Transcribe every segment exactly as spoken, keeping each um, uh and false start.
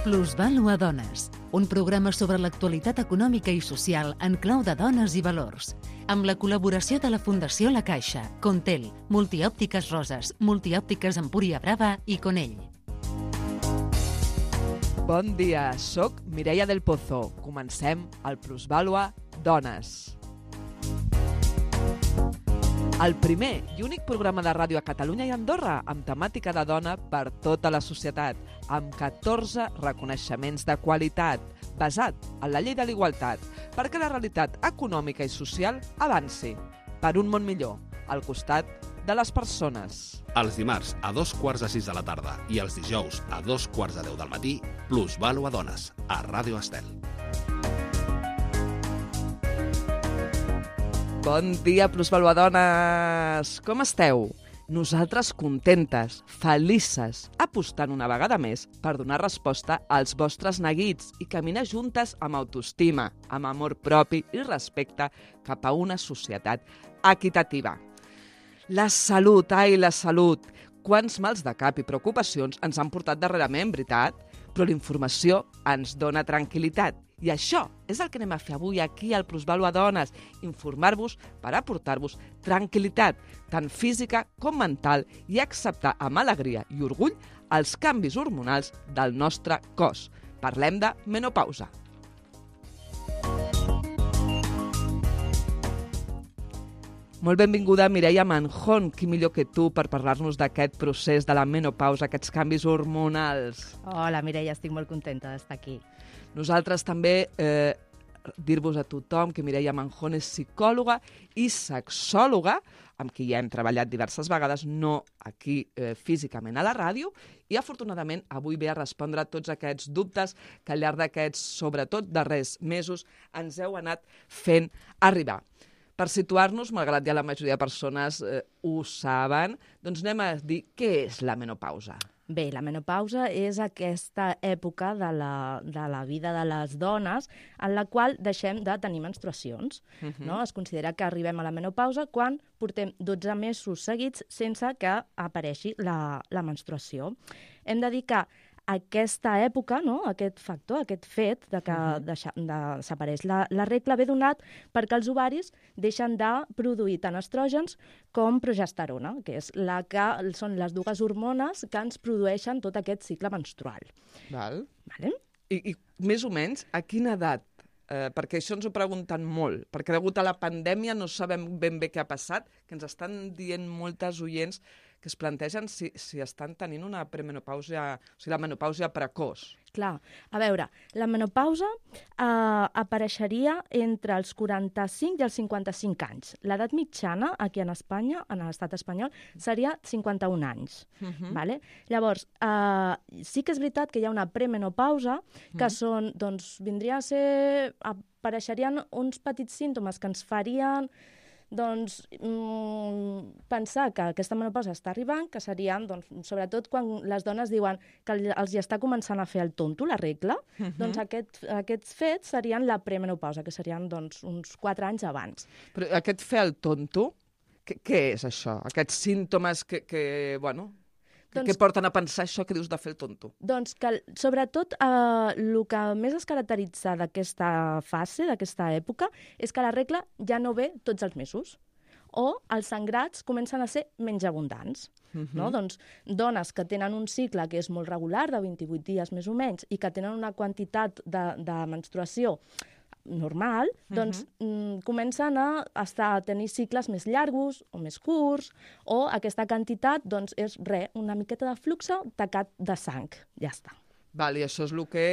Plusvàlua Dones, un programa sobre l'actualitat econòmica i social en clau de dones i valors, amb la col·laboració de la Fundació La Caixa, Contel, Multiòptiques Roses, Multiòptiques Empúria Brava i Conell. Bon dia, soc Mireia del Pozo. Comencem el Plusvàlua Dones. El primer i únic programa de ràdio a Catalunya i Andorra amb temàtica de dona per tota la societat, amb catorze reconeixements de qualitat, basat en la llei de l'igualtat, perquè la realitat econòmica i social avanci per un món millor, al costat de les persones. Els dimarts a dos quarts de sis de la tarda i els dijous a dos quarts de deu del matí, Plusvàlua Dones, a Ràdio Estel. Bon dia, Plusvàlua Dones! Com esteu? Nosaltres contentes, felices, apostant una vegada més per donar resposta als vostres neguits i caminar juntes amb autoestima, amb amor propi i respecte cap a una societat equitativa. La salut, ai, la salut! Quants mals de cap i preocupacions ens han portat darrerament, veritat? Però la informació ens dona tranquil·litat. I això és el que anem a fer avui aquí al Plusvàlua Dones, informar-vos per aportar-vos tranquil·litat, tant física com mental, i acceptar amb alegria i orgull els canvis hormonals del nostre cos. Parlem de menopausa. Molt benvinguda, Mireia Manjón. Qui millor que tu per parlar-nos d'aquest procés de la menopausa, aquests canvis hormonals. Hola, Mireia, estic molt contenta d'estar aquí. Nosaltres també eh, dir-vos a tothom que Mireia Manjón és psicòloga i sexòloga, amb qui ja hem treballat diverses vegades, no aquí eh, físicament a la ràdio, i afortunadament avui ve a respondre a tots aquests dubtes que al llarg d'aquests, sobretot darrers mesos, ens heu anat fent arribar. Per situar-nos, malgrat ja la majoria de persones eh, ho saben, doncs anem a dir què és la menopausa. Bé, la menopausa és aquesta època de la, de la vida de les dones en la qual deixem de tenir menstruacions. Uh-huh. No? Es considera que arribem a la menopausa quan portem dotze mesos seguits sense que apareixi la, la menstruació. Hem de dir que aquesta època, no? Aquest factor, aquest fet de que uh-huh. deixa, de, s'apareix la, la regla ve donat perquè els ovaris deixen de produir tant estrògens com progesterona, que és la que són les dues hormones que ens produeixen tot aquest cicle menstrual. Val. Vale? I, I més o menys a quina edat? Eh, perquè això ens ho pregunten molt, perquè degut a la pandèmia no sabem ben bé què ha passat, que ens estan dient moltes oients que es plantegen si, si estan tenint una premenopausa, o sigui, la menopausa precoç. Clar, a veure, la menopausa eh, apareixeria entre els quaranta-cinc i els cinquanta-cinc anys. L'edat mitjana aquí en Espanya, en l'estat espanyol, seria cinquanta-un anys. Uh-huh. Vale? Llavors, eh, sí que és veritat que hi ha una premenopausa, que uh-huh. són, doncs, vindria a ser, apareixerien uns petits símptomes que ens farien doncs, mmm, pensar que aquesta menopausa està arribant, que serien, doncs, sobretot quan les dones diuen que els hi està començant a fer el tonto, la regla, uh-huh. doncs aquest, aquests fets serien la premenopausa, que serien doncs, uns quatre anys abans. Però aquest fer el tonto, què, què és això? Aquests símptomes que, que bueno... Doncs, què porten a pensar això que dius de fer el tonto? Doncs que, sobretot, eh, el que més es caracteritza d'aquesta fase, d'aquesta època, és que la regla ja no ve tots els mesos, o els sangrats comencen a ser menys abundants. Uh-huh. No? Doncs dones que tenen un cicle que és molt regular, de vint-i-vuit dies més o menys, i que tenen una quantitat de, de menstruació normal, doncs uh-huh. mm, comencen a, estar, a tenir cicles més llargos o més curts, o aquesta quantitat doncs, és re, una miqueta de flux tacat de sang. Ja està. Val, i això és el que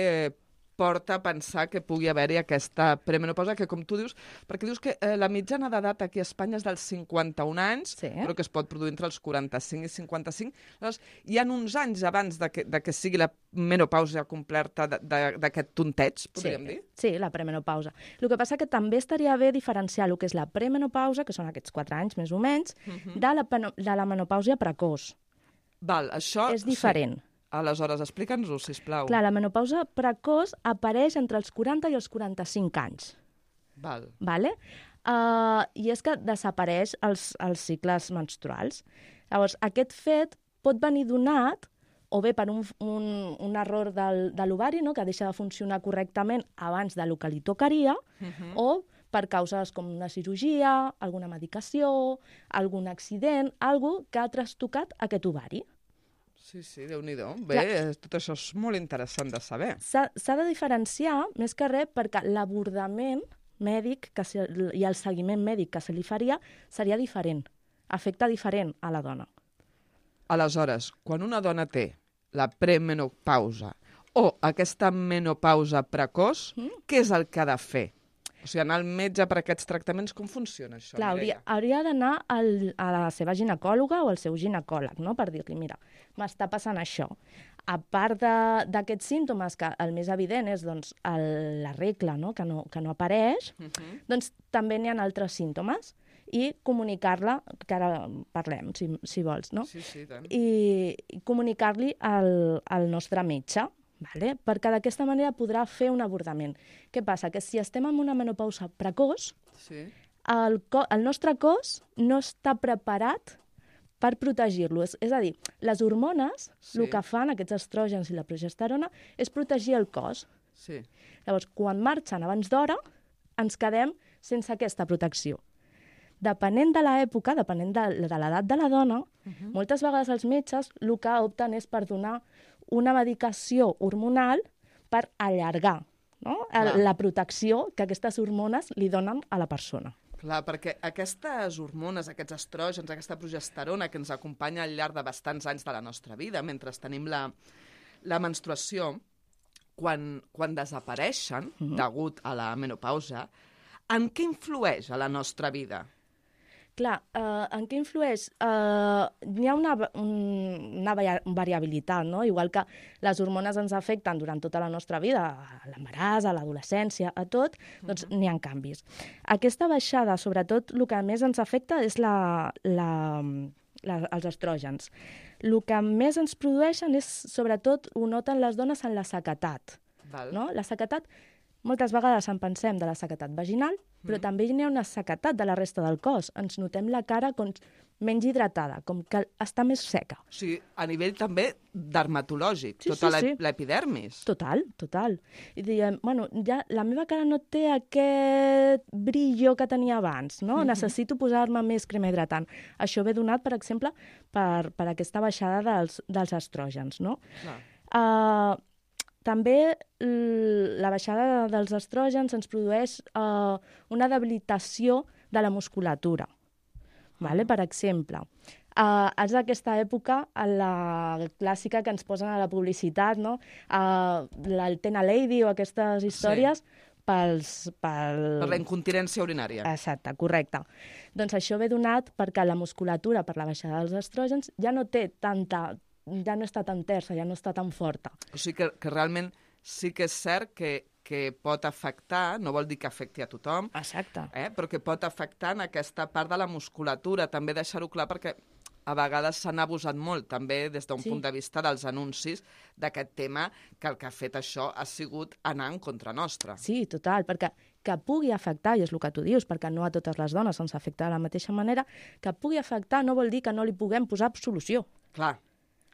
porta a pensar que pugui haver-hi aquesta premenopausa, que com tu dius, perquè dius que eh, la mitjana d'edat aquí a Espanya és dels cinquanta-un anys, sí. però que es pot produir entre els quaranta-cinc i cinquanta-cinc. Llavors, hi ha uns anys abans de que, de que sigui la menopausa completa d'aquest tonteig, podríem sí. dir? Sí, la premenopausa. El que passa que també estaria bé diferenciar el que és la premenopausa, que són aquests quatre anys més o menys, uh-huh. de, la, de la menopausa precoç. Val, això... És diferent. Sí. Aleshores, explica'ns-ho, sisplau. Clar, la menopausa precoç apareix entre els quaranta i els quaranta-cinc anys. Val. Vale? Uh, I és que desapareix els, els cicles menstruals. Llavors, aquest fet pot venir donat o bé per un, un, un error del, de l'ovari, no? Que deixa de funcionar correctament abans de lo que li tocaria, uh-huh. o per causes com una cirurgia, alguna medicació, algun accident, algo que ha trastocat aquest ovari. Sí, sí, Déu-n'hi-do. Bé, Clar. Tot això és molt interessant de saber. S'ha de diferenciar, més que res, perquè l'abordament mèdic que se, i el seguiment mèdic que se li faria seria diferent, afecta diferent a la dona. Aleshores, quan una dona té la premenopausa o aquesta menopausa precoç, mm. què és el que ha de fer? O sigui, anar al metge per aquests tractaments, com funciona això? Clar, hauria, hauria d'anar a la seva ginecòloga o al seu ginecòleg, no? Per dir-li, mira, m'està passant això. A part d'aquests símptomes, que el més evident és doncs, el, la regla, no? Que, no, que no apareix, uh-huh. doncs també n'hi ha altres símptomes i comunicar-la, que ara parlem, si, si vols, no? Sí, sí, tant. I, i comunicar-li al, al nostre metge, vale? Perquè d'aquesta manera podrà fer un abordament. Què passa? Que si estem en una menopausa precoç, sí. el, co el nostre cos no està preparat per protegir-lo. És, és a dir, les hormones, sí. el que fan aquests estrògens i la progesterona, és protegir el cos. Sí. Llavors, quan marxen abans d'hora, ens quedem sense aquesta protecció. Depenent de l'època, depenent de, de l'edat de la dona, uh-huh. moltes vegades els metges el que opten és per donar una medicació hormonal per allargar, no? La protecció que aquestes hormones li donen a la persona. Clar, perquè aquestes hormones, aquests estrògens, aquesta progesterona que ens acompanya al llarg de bastants anys de la nostra vida, mentre tenim la, la menstruació, quan, quan desapareixen, uh-huh. degut a la menopausa, en què influeix a la nostra vida? Clar, eh, en què influeix? Eh, hi ha una, una variabilitat, no? Igual que les hormones ens afecten durant tota la nostra vida, a l'embaràs, a l'adolescència, a tot, doncs uh-huh. n'hi ha canvis. Aquesta baixada, sobretot, el que més ens afecta és la, la, la, els estrògens. El que més ens produeixen és, sobretot, ho noten les dones en la sequetat. Val. No? La sequetat, moltes vegades en pensem de la sequetat vaginal, però mm. també hi ha una sequetat de la resta del cos. Ens notem la cara com menys hidratada, com que està més seca. O sigui, a nivell també dermatològic, sí, tota sí, sí. l'epidermis. Total, total. I diem, bueno, ja la meva cara no té aquest brillo que tenia abans, no? Mm-hmm. Necessito posar-me més crema hidratant. Això ve donat, per exemple, per, per aquesta baixada dels, dels estrògens, no? Clar. Uh, També la baixada dels estrògens ens produeix uh, una debilitació de la musculatura. Vale? Per exemple, uh, és d'aquesta època, la clàssica que ens posen a la publicitat, no? uh, el Tena Lady o aquestes històries, sí. pels, pel... per la incontinència urinària. Exacte, correcte. Doncs això ve donat perquè la musculatura, per la baixada dels estrògens, ja no té tanta... ja no està tan tersa, ja no està tan forta. O sigui que, que realment sí que és cert que, que pot afectar, no vol dir que afecti a tothom, exacte. Eh, però que pot afectar en aquesta part de la musculatura. També deixar-ho clar perquè a vegades s'han abusat molt, també des d'un sí. punt de vista dels anuncis d'aquest tema, que el que ha fet això ha sigut anar en contra nostra. Sí, total, perquè que pugui afectar, i és el que tu dius, perquè no a totes les dones ens afecta de la mateixa manera, que pugui afectar no vol dir que no li puguem posar solució. Clar.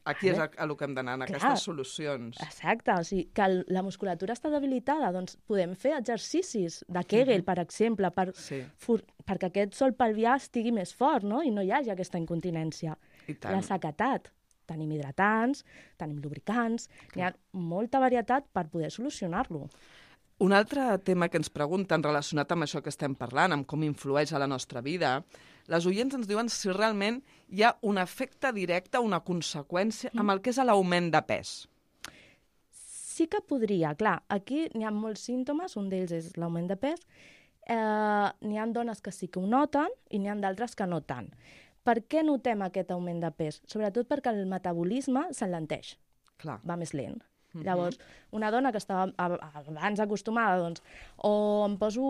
Aquí és a, a el que hem d'anar, en Clar. Aquestes solucions. Exacte, o sigui, que el, la musculatura està debilitada, doncs podem fer exercicis de Kegel, per exemple, per, sí. for, perquè aquest sol pelvià estigui més fort, no? I no hi hagi aquesta incontinència. I tant. La sequetat. Tenim hidratants, tenim lubricants, Clar. Hi ha molta varietat per poder solucionar-lo. Un altre tema que ens pregunten relacionat amb això que estem parlant, amb com influeix a la nostra vida, les oients ens diuen si realment hi ha un efecte directe, una conseqüència amb el que és l'augment de pes. Sí que podria, clar. Aquí n'hi ha molts símptomes, un d'ells és l'augment de pes. Eh, n'hi ha dones que sí que ho noten i n'hi ha d'altres que no tant. Per què notem aquest augment de pes? Sobretot perquè el metabolisme s'enlenteix, Clar. va més lent. Uh-huh. Llavors, una dona que estava abans acostumada, doncs, o em poso,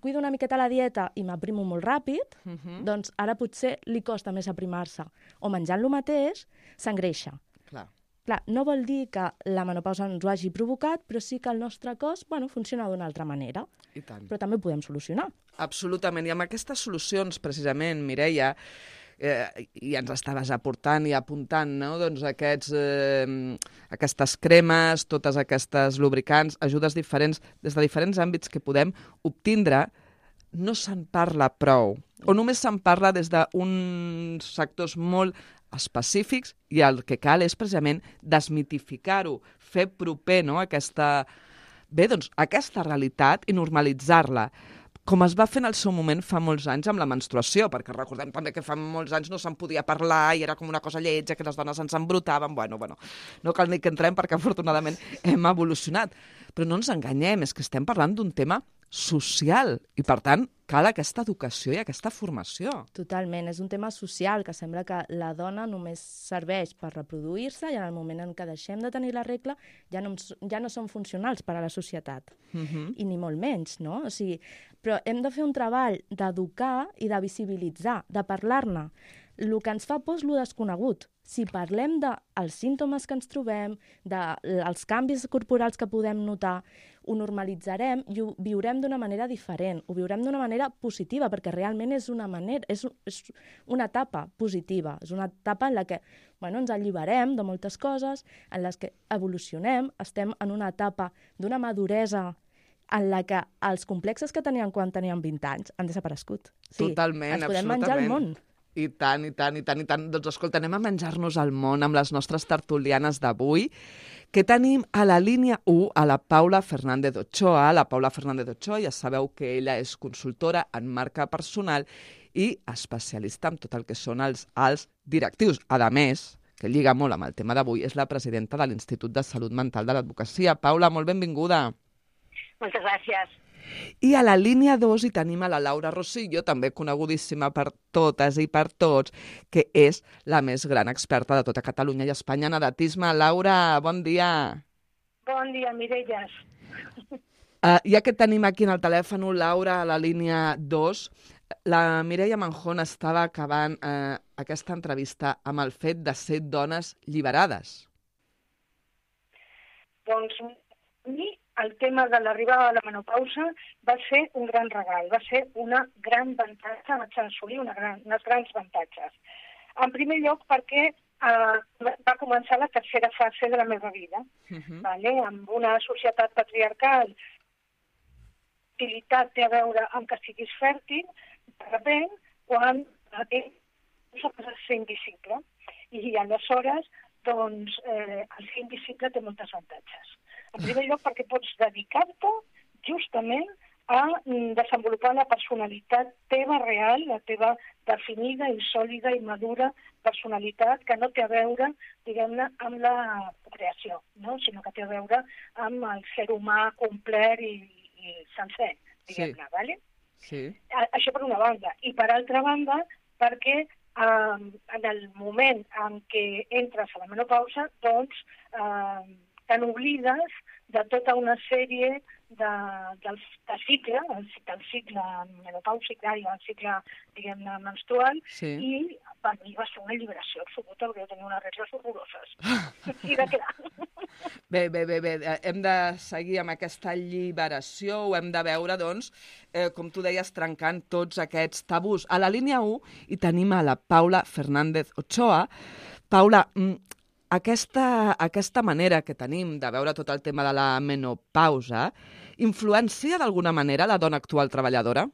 cuido una miqueta la dieta i m'aprimo molt ràpid, uh-huh. doncs ara potser li costa més aprimar-se. O menjant lo mateix, s'engreixa. Clar. Clar, no vol dir que la menopausa ens ho hagi provocat, però sí que el nostre cos, bueno, funciona d'una altra manera. I tant. Però també ho podem solucionar. Absolutament. I amb aquestes solucions, precisament, Mireia, eh, i ens estaves aportant i apuntant, no? Doncs aquests, eh, aquestes cremes, totes aquestes lubricants, ajudes diferents, des de diferents àmbits que podem obtindre, no se'n parla prou, o només se'n parla des d'uns sectors molt específics, i el que cal és precisament desmitificar-ho, fer proper, no? aquesta, bé, doncs, aquesta realitat i normalitzar-la, com es va fer en el seu moment fa molts anys amb la menstruació, perquè recordem també que fa molts anys no se'n podia parlar i era com una cosa lletja, que les dones ens embrutaven, bueno, bueno, no cal ni que entrem perquè afortunadament hem evolucionat. Però no ens enganyem, és que estem parlant d'un tema social i, per tant, cal aquesta educació i aquesta formació. Totalment, és un tema social que sembla que la dona només serveix per reproduir-se i en el moment en què deixem de tenir la regla ja no, ja no són funcionals per a la societat, uh-huh. i ni molt menys, no? O sigui, però hem de fer un treball d'educar i de visibilitzar, de parlar-ne. El que ens fa por és el desconegut. Si parlem dels símptomes que ens trobem, dels canvis corporals que podem notar, ho normalitzarem i ho viurem d'una manera diferent, ho viurem d'una manera positiva, perquè realment és una manera, és, és una etapa positiva, és una etapa en la que bueno, ens alliberem de moltes coses, en les que evolucionem, estem en una etapa d'una maduresa en la que els complexes que teníem quan teníem vint anys han desaparegut. Sí, totalment, ens podem absolutament. menjar el món. I tant, i tant, i tant, i tant. Doncs escolta, anem a menjar-nos el món amb les nostres tertulianes d'avui, que tenim a la línia u a la Paula Fernández Ochoa. La Paula Fernández Ochoa, ja sabeu que ella és consultora en marca personal i especialista en tot el que són els alts directius. A més, que lliga molt amb el tema d'avui, és la presidenta de l'Institut de Salut Mental de l'Advocacia. Paula, molt benvinguda. Moltes gràcies. I a la línia dos hi tenim a la Laura Rosillo, també conegudíssima per totes i per tots, que és la més gran experta de tota Catalunya i Espanya en edatisme. Laura, bon dia. Bon dia, Mirelles. Uh, ja que tenim aquí en el telèfon, Laura, a la línia dos, la Mireia Manjón estava acabant uh, aquesta entrevista amb el fet de ser dones lliberades. Doncs a mi el tema de l'arribada de la menopausa va ser un gran regal, va ser una gran avantatge, vaig assolir una gran, unes grans avantatges. En primer lloc perquè eh, va començar la tercera fase de la meva vida, uh-huh. vale? Amb una societat patriarcal, l'utilitat té a veure amb que siguis fèrtil, de repent, quan això passa a ser invisible. I aleshores, doncs, eh, el ser invisible té moltes avantatges. En primer lloc, perquè pots dedicar-te justament a desenvolupar la personalitat teva real, la teva definida i sòlida i madura personalitat que no té a veure, diguem-ne, amb la creació, no? Sinó que té a veure amb el ser humà complet i, i sencer, diguem-ne, sí. Vale? Sí. Això per una banda. I per altra banda, perquè eh, en el moment en què entres a la menopausa, doncs, eh, te n'oblides de tota una sèrie de, del, de cicle, el, del cicle menopàusic, i el cicle, diguem-ne, menstrual, sí. I per mi va ser una alliberació absoluta, perquè jo tenia unes regles horroroses. I de quedar. Bé, bé, bé, bé, hem de seguir amb aquesta alliberació, ho hem de veure, doncs, eh, com tu deies, trencant tots aquests tabús. A la línia u hi tenim a la Paula Fernández Ochoa. Paula, Aquesta, aquesta manera que tenim de veure tot el tema de la menopausa influencia d'alguna manera la dona actual treballadora?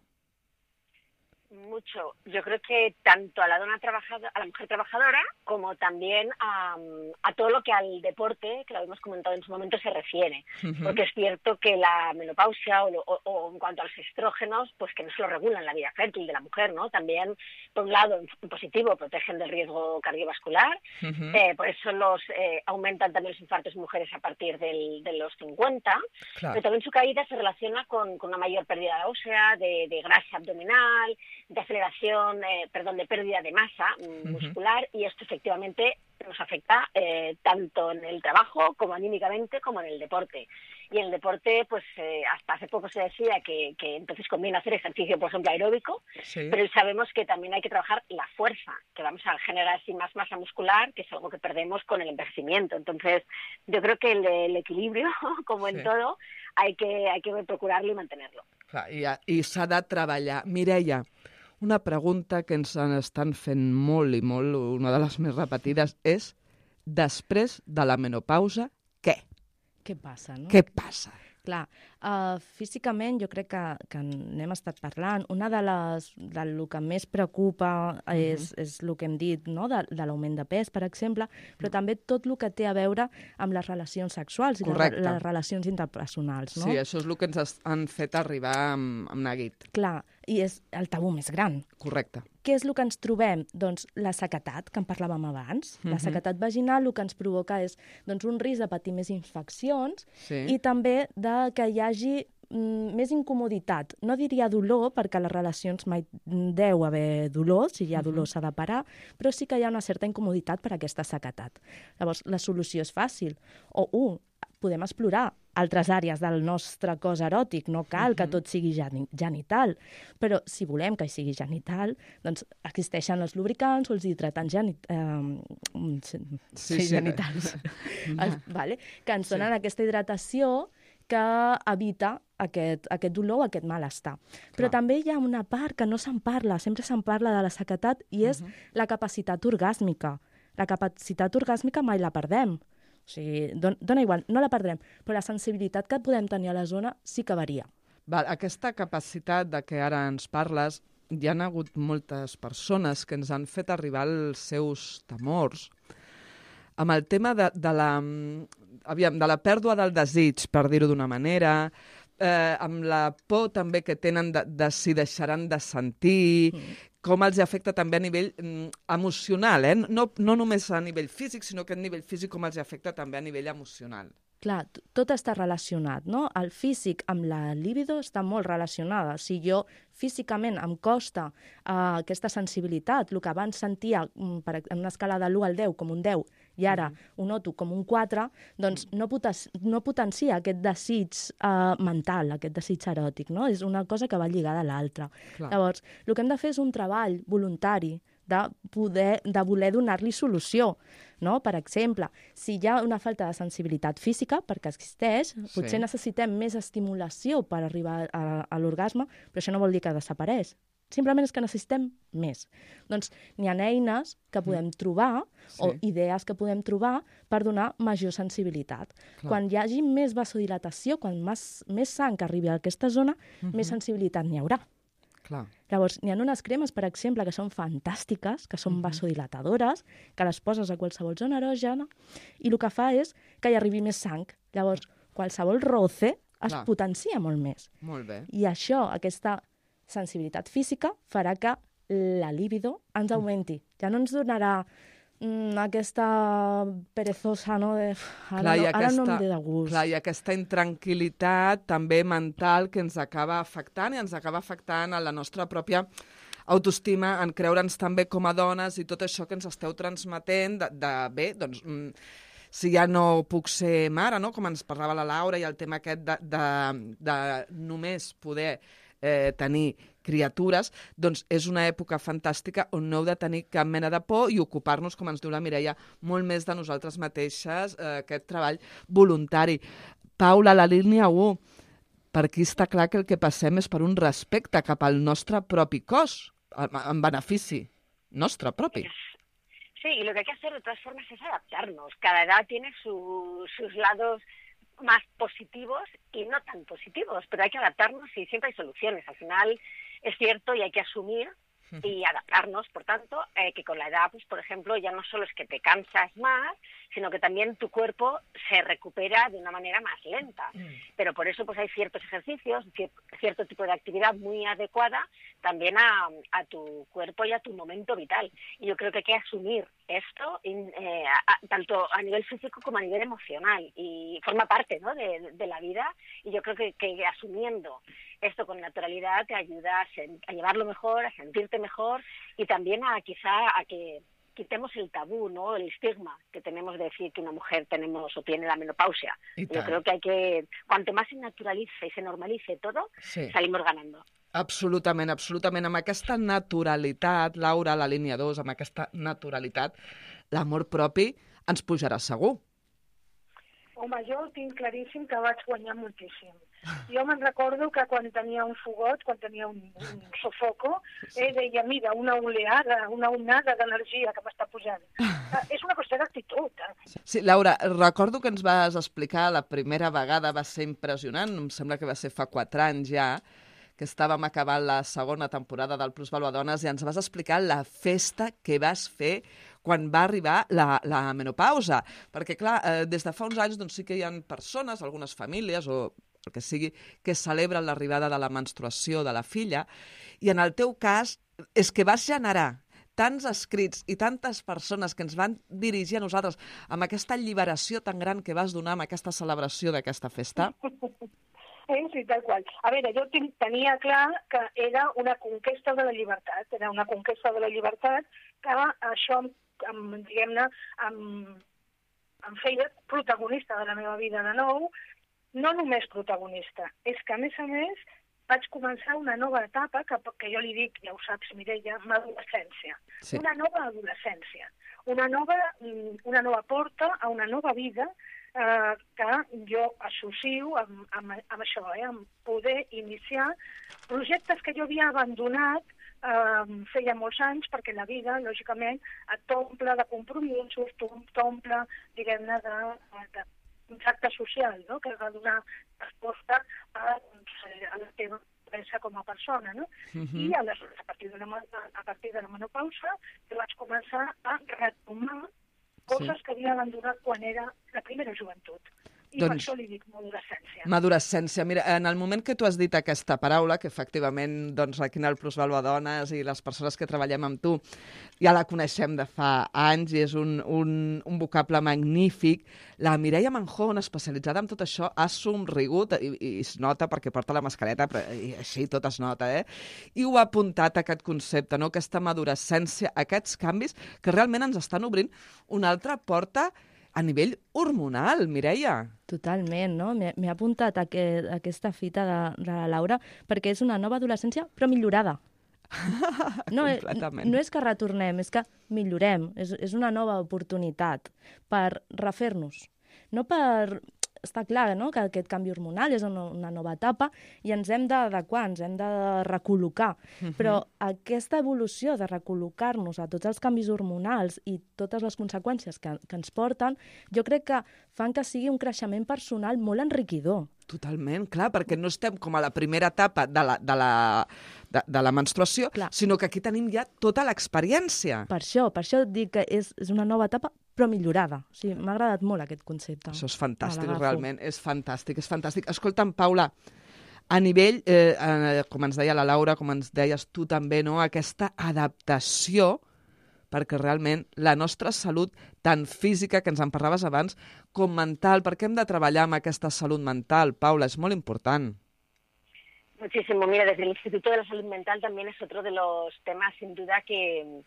Mucho. Yo creo que tanto a la dona trabajadora, a la mujer trabajadora, como también a, a todo lo que al deporte, que lo hemos comentado en su momento, se refiere. Uh-huh. Porque es cierto que la menopausia o, o, o en cuanto a los estrógenos, pues que no se lo regulan la vida fértil de la mujer, ¿no? También, por un lado, en positivo, protegen del riesgo cardiovascular, uh-huh. eh, por eso los eh, aumentan también los infartos en mujeres a partir del, de los cincuenta, claro. Pero también su caída se relaciona con, con una mayor pérdida ósea, de, de grasa abdominal, de aceleración, eh, perdón, de pérdida de masa uh-huh. muscular, y esto efectivamente nos afecta eh, tanto en el trabajo como anímicamente como en el deporte. Y en el deporte, pues eh, hasta hace poco se decía que, que entonces conviene hacer ejercicio, por ejemplo, aeróbico, sí. Pero sabemos que también hay que trabajar la fuerza, que vamos a generar así más masa muscular, que es algo que perdemos con el envejecimiento. Entonces, yo creo que el, el equilibrio, como en sí. todo, hay que, hay que procurarlo y mantenerlo. Clar, i, i s'ha de treballar. Mireia, Una pregunta que ens estan fent molt i molt, una de les més repetides, és després de la menopausa, què? Què passa, no? Què passa? Clar, uh, físicament jo crec que, que n'hem estat parlant. Una de les, del que més preocupa és, uh -huh. és el que hem dit, no? de, de l'augment de pes, per exemple, però també tot el que té a veure amb les relacions sexuals Correcte. i les, les relacions interpersonals. No? Sí, això és el que ens han fet arribar amb, amb neguit. Clar, i és el tabú més gran. Correcte. Què és el que ens trobem? Doncs la sequedat, que en parlàvem abans. Uh -huh. La sequedat vaginal el que ens provoca és doncs, un risc de patir més infeccions Sí. i també de que hi hagi mm, més incomoditat. No diria dolor, perquè a les relacions mai deu haver dolor, si hi ha dolor uh -huh. s'ha de parar, però sí que hi ha una certa incomoditat per aquesta sequedat. Llavors, la solució és fàcil. O, un, podem explorar altres àrees del nostre cos eròtic, no cal que tot sigui genital, però si volem que hi sigui genital, doncs existeixen els lubricants o els hidratants geni eh, sí, Sí, sí. genitals, els, vale? que ens donen sí. aquesta hidratació que evita aquest, aquest dolor o aquest malestar. Però Clar. també hi ha una part que no se'n parla, sempre se'n parla de la sequedat, i és uh -huh. la capacitat orgàsmica. La capacitat orgàsmica mai la perdem. O sigui, don, dona igual, no la perdrem, però la sensibilitat que podem tenir a la zona sí que varia. Val, aquesta capacitat de què ara ens parles, hi ha hagut moltes persones que ens han fet arribar els seus temors amb el tema de, de, la, aviam, de la pèrdua del desig, per dir-ho d'una manera, eh, amb la por també que tenen de, de si deixaran de sentir, mm. com els afecta també a nivell mm, emocional, eh? no, no només a nivell físic, sinó que a nivell físic com els afecta també a nivell emocional. Clar, tot està relacionat, no? El físic amb la libido està molt relacionada. Si jo físicament em costa uh, aquesta sensibilitat, el que abans sentia um, per, en una escala de l'u al deu com un deu, i ara mm. ho noto com un quatre, doncs no, poten no potencia aquest desig uh, mental, aquest desig eròtic, no? És una cosa que va lligada a l'altra. Llavors, el que hem de fer és un treball voluntari de, poder, de voler donar-li solució. No? Per exemple, si hi ha una falta de sensibilitat física, perquè existeix, sí. potser necessitem més estimulació per arribar a, a l'orgasme, però això no vol dir que desapareix. Simplement és que necessitem més. Doncs n'hi ha eines que podem trobar, sí. o idees que podem trobar, per donar major sensibilitat. Clar. Quan hi hagi més vasodilatació, quan més, més sang arribi a aquesta zona, uh-huh. més sensibilitat n'hi haurà. Clar. Llavors, n'hi ha unes cremes, per exemple, que són fantàstiques, que són uh-huh. vasodilatadores, que les poses a qualsevol zona erògena, i el que fa és que hi arribi més sang. Llavors, qualsevol roce es Clar. Potencia molt més. Molt bé. I això, aquesta sensibilitat física, farà que la libido ens augmenti. Ja no ens donarà mm, aquesta perezosa, no? De, ara, clar, no, aquesta, ara no em ve de gust. Clar, i aquesta intranquil·litat també mental que ens acaba afectant i ens acaba afectant a la nostra pròpia autoestima, en creure'ns també com a dones i tot això que ens esteu transmetent de, de bé, doncs... Mm, si ja no puc ser mare, no? Com ens parlava la Laura, i el tema aquest de, de, de només poder eh, tenir criatures, doncs és una època fantàstica on no heu de tenir cap mena de por i ocupar-nos, com ens diu la Mireia, molt més de nosaltres mateixes, eh, aquest treball voluntari. Paula, la línia u, per aquí està clar que el que passem és per un respecte cap al nostre propi cos, en benefici nostre propi. Sí, y lo que hay que hacer de todas formas es adaptarnos. Cada edad tiene su, sus lados más positivos y no tan positivos, pero hay que adaptarnos y siempre hay soluciones. Al final es cierto y hay que asumir y adaptarnos, por tanto, eh, que con la edad, pues por ejemplo, ya no solo es que te cansas más, sino que también tu cuerpo se recupera de una manera más lenta. Mm. Pero por eso pues hay ciertos ejercicios, cierto tipo de actividad muy adecuada también a, a tu cuerpo y a tu momento vital. Y yo creo que hay que asumir esto, eh, a, tanto a nivel físico como a nivel emocional, y forma parte, ¿no?, de, de la vida, y yo creo que, que asumiendo esto con naturalidad te ayuda a, a llevarlo mejor, a sentirte mejor, y también a quizá a que quitemos el tabú, ¿no?, el estigma que tenemos de decir que una mujer tenemos o tiene la menopausia. Yo creo que hay que, cuanto más se naturalice y se normalice todo, sí. salimos ganando. Absolutament, absolutament. Amb aquesta naturalitat, Laura, a la línia dos, amb aquesta naturalitat, l'amor propi ens pujarà segur. Home, jo ho tinc claríssim que vaig guanyar moltíssim. Jo me'n recordo que quan tenia un fogot, quan tenia un, un sofoco, eh, deia, mira, una oleada, una onada d'energia que m'està pujant. Eh, és una qüestió d'actitud. Eh? Sí, Laura, recordo que ens vas explicar la primera vegada, va ser impressionant, em sembla que va ser fa quatre anys ja, que estàvem acabant la segona temporada del Plusvaluadones i ens vas explicar la festa que vas fer quan va arribar la, la menopausa. Perquè, clar, eh, des de fa uns anys doncs, sí que hi ha persones, algunes famílies o el que sigui, que celebren l'arribada de la menstruació de la filla, i en el teu cas és que vas generar tants escrits i tantes persones que ens van dirigir a nosaltres amb aquesta alliberació tan gran que vas donar amb aquesta celebració d'aquesta festa. Eh, sí, tal qual. A veure, jo tenia clar que era una conquesta de la llibertat, era una conquesta de la llibertat que això, em, diguem-ne, em, em feia protagonista de la meva vida de nou, no només protagonista, és que a més a més vaig començar una nova etapa que, que jo li dic, ja ho saps, Mireia, m'adolescència. Sí. Una nova adolescència, una nova, una nova porta a una nova vida eh, que jo associo amb, amb, amb això, eh, amb poder iniciar projectes que jo havia abandonat eh, feia molts anys, perquè la vida, lògicament, et t'omple de compromisos, t'omple, diguem-ne, de, de un tracte social, no?, que has de donar resposta a, a la teva pensa com a persona, no? Uh-huh. I aleshores, a partir de la, a partir de la menopausa, jo vaig començar a retomar coses sí. que havia abandonat quan era la primera joventut. I doncs, per això li dic madurascència. Madurascència. Mira, en el moment que tu has dit aquesta paraula, que efectivament doncs, aquí en el Plusvaluadones i les persones que treballem amb tu ja la coneixem de fa anys i és un, un, un vocable magnífic, la Mireia Manjón, especialitzada en tot això, ha somrigut, i, i es nota perquè porta la mascareta, però i així tot es nota, eh? I ho ha apuntat, aquest concepte, no? Aquesta madurascència, aquests canvis que realment ens estan obrint una altra porta a nivell hormonal, Mireia. Totalment, no? M'he apuntat a, que, a aquesta fita de, de la Laura perquè és una nova adolescència, però millorada. No, no és que retornem, és que millorem. És, és una nova oportunitat per refer-nos. No per... Està clar, no?, que aquest canvi hormonal és una, una nova etapa i ens hem d'adequar, ens hem de recol·locar. Uh-huh. Però aquesta evolució de recol·locar-nos a tots els canvis hormonals i totes les conseqüències que, que ens porten, jo crec que fan que sigui un creixement personal molt enriquidor. Totalment, clar, perquè no estem com a la primera etapa de la, de la, de, de la menstruació, clar, sinó que aquí tenim ja tota l'experiència. Per això, per això dic que és, és una nova etapa, però millorada. O sigui, m'ha agradat molt aquest concepte. Això és fantàstic, realment, és fantàstic, és fantàstic. Escolta'm, Paula, a nivell, eh, eh, com ens deia la Laura, com ens deies tu també, no?, aquesta adaptació, perquè realment la nostra salut, tant física, que ens en parlaves abans, com mental, perquè hem de treballar amb aquesta salut mental, Paula, és molt important. Muchísimo. Mira, desde el Instituto de la Salud Mental también es otro de los temas, sin duda, que...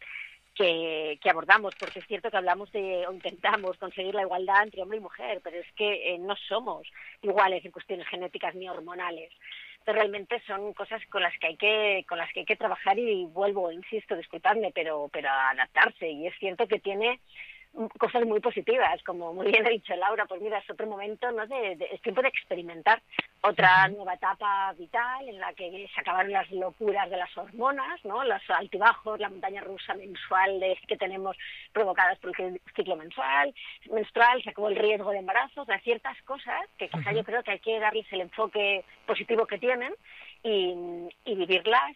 Que, que abordamos, porque es cierto que hablamos de, o intentamos conseguir la igualdad entre hombre y mujer, pero es que eh, no somos iguales en cuestiones genéticas ni hormonales. Entonces, realmente son cosas con las que hay que, con las que hay que trabajar y vuelvo, insisto, disculpadme, pero, pero adaptarse. Y es cierto que tiene cosas muy positivas, como muy bien ha dicho Laura, pues mira, es otro momento, ¿no?, de, de, es tiempo de experimentar otra uh-huh. nueva etapa vital en la que se acabaron las locuras de las hormonas, ¿no?, los altibajos, la montaña rusa mensual de, que tenemos provocadas por el ciclo mensual, menstrual, se acabó el riesgo de embarazo, o sea, ciertas cosas que quizá uh-huh. yo creo que hay que darles el enfoque positivo que tienen y, y vivirlas,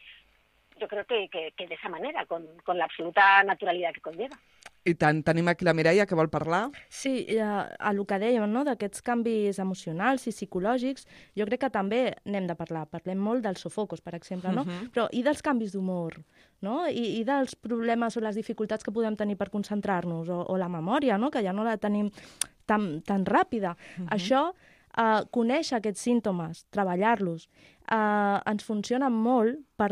yo creo que, que, que de esa manera, con, con la absoluta naturalidad que conlleva. I tant, tenim aquí la Mireia, que vol parlar. Sí, a, a el que dèiem, no?, d'aquests canvis emocionals i psicològics, jo crec que també n'hem de parlar. Parlem molt dels sofocos, per exemple, no? Uh-huh. Però i dels canvis d'humor, no? I, i dels problemes o les dificultats que podem tenir per concentrar-nos, o, o la memòria, no?, que ja no la tenim tan, tan ràpida. Uh-huh. Això, eh, conèixer aquests símptomes, treballar-los, Uh, ens funciona molt per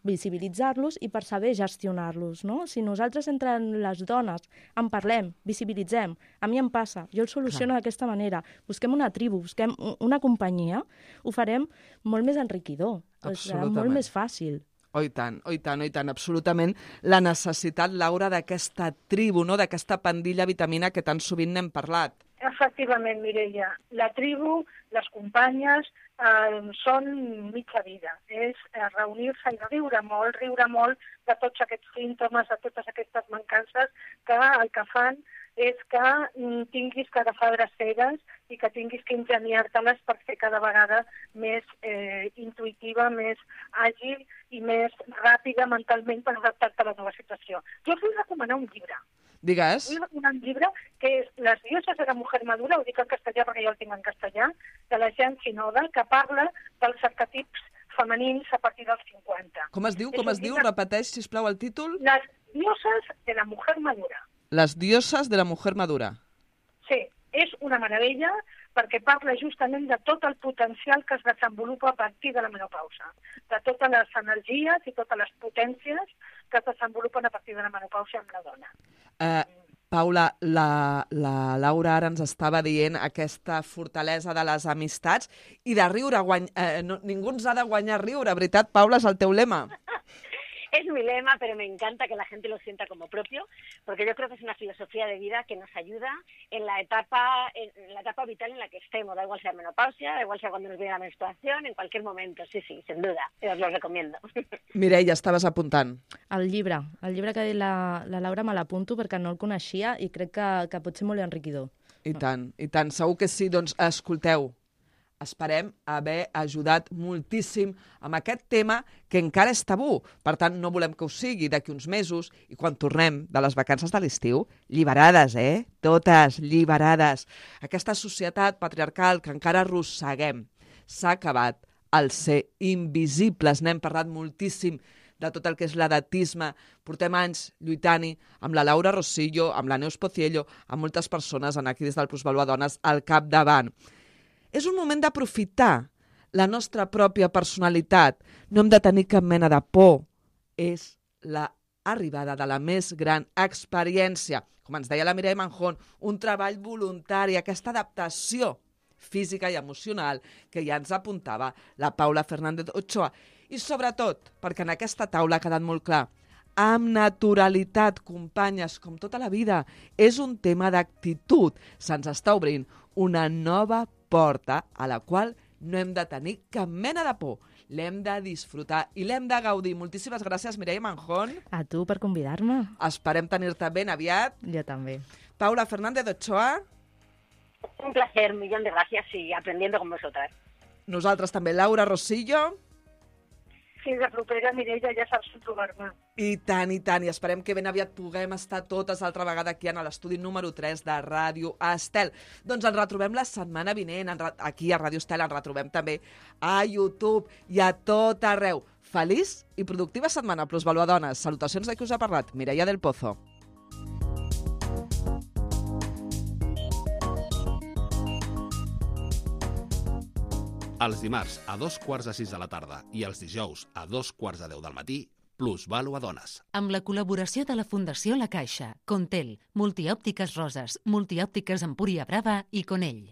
visibilitzar-los i per saber gestionar-los, no? Si nosaltres entre les dones en parlem, visibilitzem, a mi em passa, jo el soluciono d'aquesta manera, busquem una tribu, busquem una companyia, ho farem molt més enriquidor, serà molt més fàcil. Oh, i tant, oh, i tant, oh, i tant, absolutament. La necessitat, Laura, d'aquesta tribu, no?, d'aquesta pandilla vitamina que tan sovint n'hem parlat. Efectivament, Mireia. La tribu, les companyes, eh, són mitja vida. És eh, reunir-se i riure molt, riure molt de tots aquests símptomes, de totes aquestes mancances que el que fan és que mm, tinguis que agafar dreceres i que tinguis que ingeniar-te-les per fer cada vegada més eh, intuïtiva, més àgil i més ràpida mentalment per adaptar-te a la nova situació. Jo us vull recomanar un llibre. Digues. Vull recomanar un llibre que és Les dioses de la mujer madura, ho dic en castellà perquè jo el tinc en castellà, de la Jean Shinoda, que parla dels arquetips femenins a partir dels cinquanta. Com es diu? Com es diu? Llibre... Repeteix, sisplau, el títol. Les dioses de la mujer madura. Les dioses de la mujer madura. Sí, és una meravella perquè parla justament de tot el potencial que es desenvolupa a partir de la menopausa, de totes les energies i totes les potències que es desenvolupen a partir de la menopausa amb la dona. Eh, Paula, la, la Laura ara ens estava dient aquesta fortalesa de les amistats i de riure. Guany... Eh, no, ningú ens ha de guanyar riure, veritat, Paula, és el teu lema. Es mi lema, pero me encanta que la gente lo sienta como propio, porque yo creo que es una filosofía de vida que nos ayuda en la etapa en la etapa vital en la que estemos, da igual sea menopausia, da igual sea cuando nos viene la menstruación, en cualquier momento, sí, sí, sin duda, os lo recomiendo. Mireia, estaves apuntant. El llibre, el llibre que ha dit la, la Laura me l'apunto perquè no el coneixia i crec que, que pot ser molt enriquidor. I tant, i tant, segur que sí. Doncs escolteu, esperem haver ajudat moltíssim amb aquest tema que encara és tabú. Per tant, no volem que ho sigui d'aquí uns mesos i quan tornem de les vacances de l'estiu, lliberades, eh? Totes lliberades. Aquesta societat patriarcal que encara arrosseguem s'ha acabat el ser invisibles. N'hem parlat moltíssim de tot el que és l'edatisme. Portem anys lluitant-hi amb la Laura Rosillo, amb la Neus Pociello, amb moltes persones aquí des del Plusvalua Dones al capdavant. És un moment d'aprofitar la nostra pròpia personalitat. No hem de tenir cap mena de por. És l'arribada de la més gran experiència. Com ens deia la Mireia Manjón, un treball voluntari, aquesta adaptació física i emocional que ja ens apuntava la Paula Fernández Ochoa. I sobretot, perquè en aquesta taula ha quedat molt clar, amb naturalitat, companyes, com tota la vida, és un tema d'actitud. Se'ns està obrint una nova porta a la qual no hem de tenir cap mena de por. L'hem de disfrutar i l'hem de gaudir. Moltíssimes gràcies, Mireia Manjón. A tu per convidar-me. Esperem tenir-te ben aviat. Jo també. Paula Fernández Ochoa. Un placer, un millón de gracias y aprendiendo con vosotras. Nosaltres també, Laura Rosillo. Fins la propera, Mireia, ja saps on trobar-me. I tant, i tant, i esperem que ben aviat puguem estar totes altra vegada aquí en l'estudi número tres de Ràdio Estel. Doncs ens retrobem la setmana vinent, aquí a Ràdio Estel, ens retrobem també a YouTube i a tot arreu. Feliç i productiva setmana, Plusvalua Dones. Salutacions de qui us ha parlat, Mireia del Pozo. Els dimarts a dos quarts de sis de la tarda i els dijous a dos quarts de deu del matí, Plusvalua Dones. Amb la col·laboració de la Fundació La Caixa, Contel, Multiòptiques Roses, Multiòptiques Empúria Brava i Conell.